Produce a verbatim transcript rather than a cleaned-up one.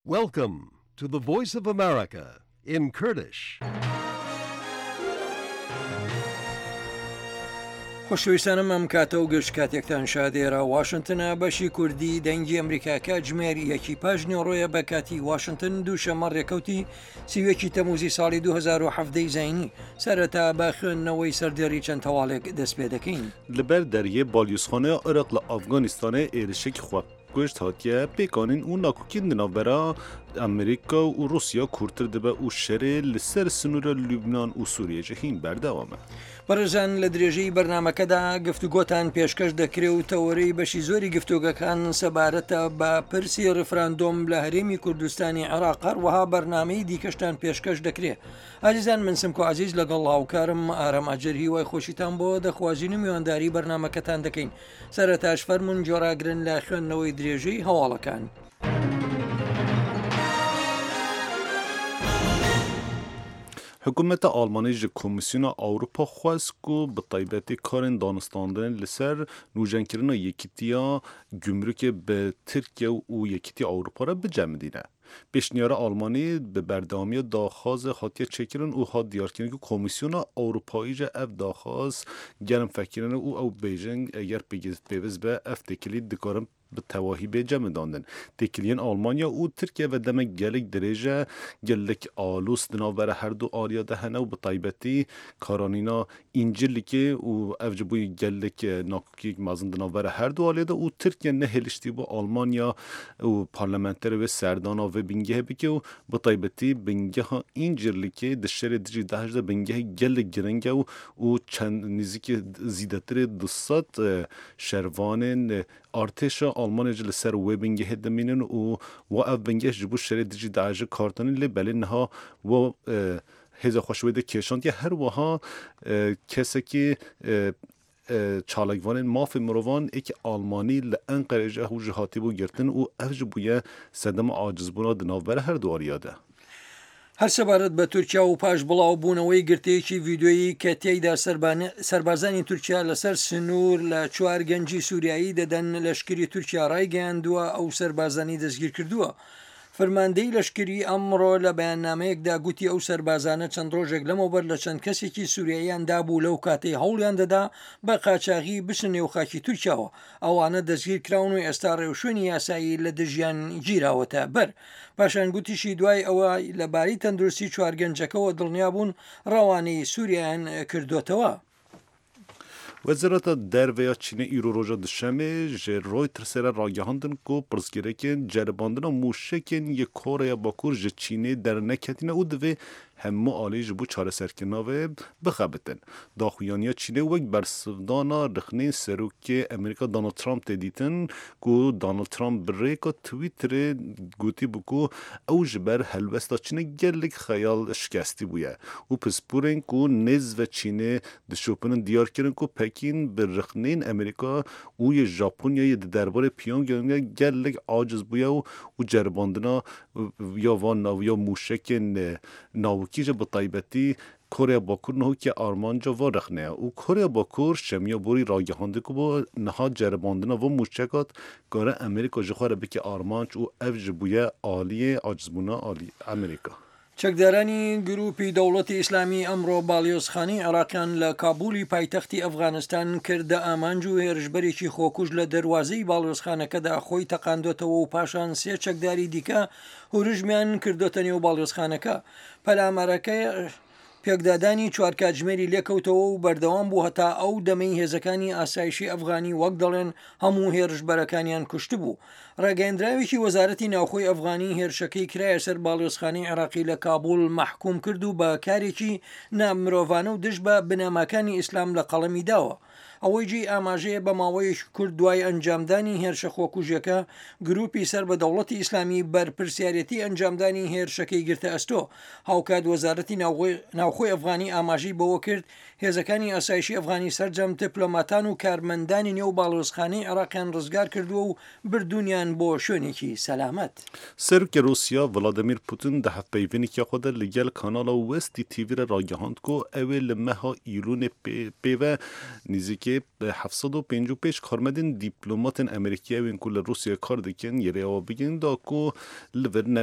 Welcome to the Voice of America in Kurdish. خۆشەویستانم، ئەم کاتە و گشت کاتێکتان شاد. ئێرە واشنتنە، بەشی کوردی دەنگی ئەمریکا، کاتژمێر یەکی پاش نیوەڕۆیە بە کاتی واشنتن، دووشەممە، ڕێکەوتی سی و یەکی تەموزی ساڵی دوو هەزار و حەڤدە زاینی. سەرەتا بە خوێندنەوەی سەردێڕی چەند هەواڵێک دەست پێ دەکەین. Li ber deriyê balyozxaneya Iraq li Afganistanê êrişek xwe kuşt hatiye pêkanîn û nakokîn di navbera Amerîka û Rûsya kûrtir dibe û şerê li ser sinûra Lubnan û Sûriyê jî hîn berdewam e. بەڕێزان، لە درێژەی بەرنامەکەدا گفتوگۆتان پێشکەش دەکرێ و تەوەرەی بەشی زۆری گفتوگەکان سەبارەتە بە پرسی ریفراندۆم لە هەرێمی کوردستانی عێراق، هەروەها بەرنامەی دیکەشتان پێشکەش دەکرێ. ئازیزان، من سمکۆ عەزیز لەگەڵ هاوکارم ئارام ئاجر هیوای خۆشیتان بۆ دەخوازین و میوانداری بەرنامەکەتان دەکەین. سەرەتاش فەرمون گوێڕاگرن لە خوێندنەوەی درێژەی هەواڵەکان. Hikûmeta Almanî ji Komîsyona Ewropa xwest ku bi taybetî karên danûstandinê li ser nûjenkirina yekîtiya gumrukê bi Tirkiye û Yekîtiya Ewropa re bicemidîne. Pêşniyara Almanî bi berdewamiya daxwazê hatiye çêkirin û hat diyarkirin ku Komîsyona Ewropayî jî ev daxwaz germ fekirine û ew bêjin, eger pêge-, pêviz be, ev têkilî dikarin bi tevahî bê cemidandin. Têkiliyên Almanya û Tirkiye ve demek gelek dirêj e, gelek alûs di navbera her du aliya de hene û bi taybetî karanîna Încirlikê û ev ji bo gelek, e, nakokiyek mezin di navbera her du aliyê de û Tirkiye nehêliştî bû Almanya û parlamenterê wê serdana vê bingehê bike û bi taybetî bingeha Încirlikê di şerê dijî DAIŞ de bingehê gelek giring e û, û çend nêzîkî zîdetirê du sed, e, şervanên, e, artêşa Almanya jî li ser wê bingehê dimînin û wa ev bingeh ji bo şerê dijî DAIŞ kartine, lê belê niha wa, e, hêza xwe ji wê de kêşandiye. Her wiha, e, kesekî, e, e, çalakvanên mafê mirovan êkî Almanî li Enqerê jî ew jî hatibû girtin û ev jî bûye sedema acizbûna di navbera her du aliya de. هەر سەبارەت بە تورکیا و پاش بڵاوبوونەوەی گرتەیەکی ڤیدیۆیی کە تێیدا سەربان-، سەربازانی تورکیا لەسەر سنوور لە چوار گەنجی سووریایی دەدەن، لەشکری تورکیا ڕایگەیاندووە ئەو سەربازانی دەستگیر کردووە. فەرماندەی لەشکری ئەمڕۆ لە بەیاننامەیەکدا گوتی ئەو سەربازانە چەند ڕۆژێک لەمەوبەر لە چەند کەسێکی سووریاییان دابوو، لەو کاتەی هەوڵیان دەدا بە قاچاغی بچنە نێو خاکی تورکیاوە. ئەوانە دەستگیر کراون و ئێستا ڕێوشوێنی یاسایی لە دژیان گیراوەتە بەر. پاشان گوتیشی دوای ئەوە لەبارەی تەندروستی چوار گەنجەکەوە دڵنیا بوون ڕەوانەی سووریایان کردوتەوە. Wezareta Derve ya Çînê îro roja Duşemê ji Reutersê re ragihandin ku pirsgirêkên ceribandina mûşekên yê Koreya Bakur ji Çînê derneketîne û divê hemû alî ji bo çareserkirina vê bixebitin. Daxuyaniya Çînê wek bersivdana rixnên Serokê Amerîka Donald Trump tê dîtin, ku Donald Trump bi rêka Twitterê gotî bû ku ew ji ber helwesta Çînê gelek xeyal şikestî bûye û pisporên ku nêz ve Çînê dişopinin diyar kirin ku Pekîn bi rixnên Amerîka û yê Japonyayê di derbarê Pyongyangê gelek aciz bûye û, û ceribandina ya van nav-, ya mûşekên, e, navûkî jî bi taybetî Koreya Bakur niha wekî armanca van rexne ye û Koreya Bakur şemiya borî ragihandî ku bo niha ceribandina van mûşeka dikare Amerîka ji xwe re bike armanc û ev jî bûye aliyê acizbûna alî Amerîka. چەکدارانی گروپی دەوڵەتی ئیسلامی ئەمڕۆ باڵیۆزخانەی عێراقیان لە کابولی پایتەختی ئەفغانستان کردە ئامانج و هێرشبەرێکی خۆکوژ لە دەروازەی باڵیۆزخانەکەدا خۆی تەقاندۆتەوە و پاشان سێ چەکداری دیکە هورژمیان کردۆتە نێو باڵیۆزخانەکە. پەلامارەکە پێکدادانی چوار کاتژمێری لێکەوتەوە و بەردەوام بوو هەتا ئەو دەمەی هێزەکانی ئاسایشی ئەفغانی، وەک دەڵێن، هەموو هێرشبەرەکانیان کوشتبوو. ڕاگەیاندراوێکی وەزارەتی ناوخۆی ئەفغانی هێرشەکەی کرایە سەر باڵیۆزخانەی عێراقی لە کابول مەحکوم کرد و بە کارێکی نامرۆڤانە و دژ بە بنەماکانی ئیسلام لە قەڵەمی داوە. ئەوەی جێی ئاماژەیە، بە ماوەیەکی کورت دوای ئەنجامدانی هێرشە خۆکوژیەکە، گروپی سەر بە دەوڵەتی ئیسلامی بەرپرسیارەتی ئەنجامدانی هێرشەکەی گرتە ئەستۆ. هاوکات وەزارەتی ناوخۆی، ناوخۆی ئەفغانی ئاماژەی بەوە کرد، هێزەکانی ئاسایشی ئەفغانی سەرجەم دیپلۆماتان و کارمەندانی نێو باڵیۆزخانەی عێراقیان ڕزگار کردووە و بردوونیان بۆ شوێنێکی سەلامەت. Serokê Rûsya Vladimir Putin di hevpeyvînekî xwe de li gel kanala Westî T V re ragihand ku ew ê li meha Îlûnê pê, pê ve nêzîkî heft sed û pêncî û pênc karmendên dîplomatên Amerîkî ewên ku li Rûsyayê kar dikin yê rêya bigirin da ku li vir ne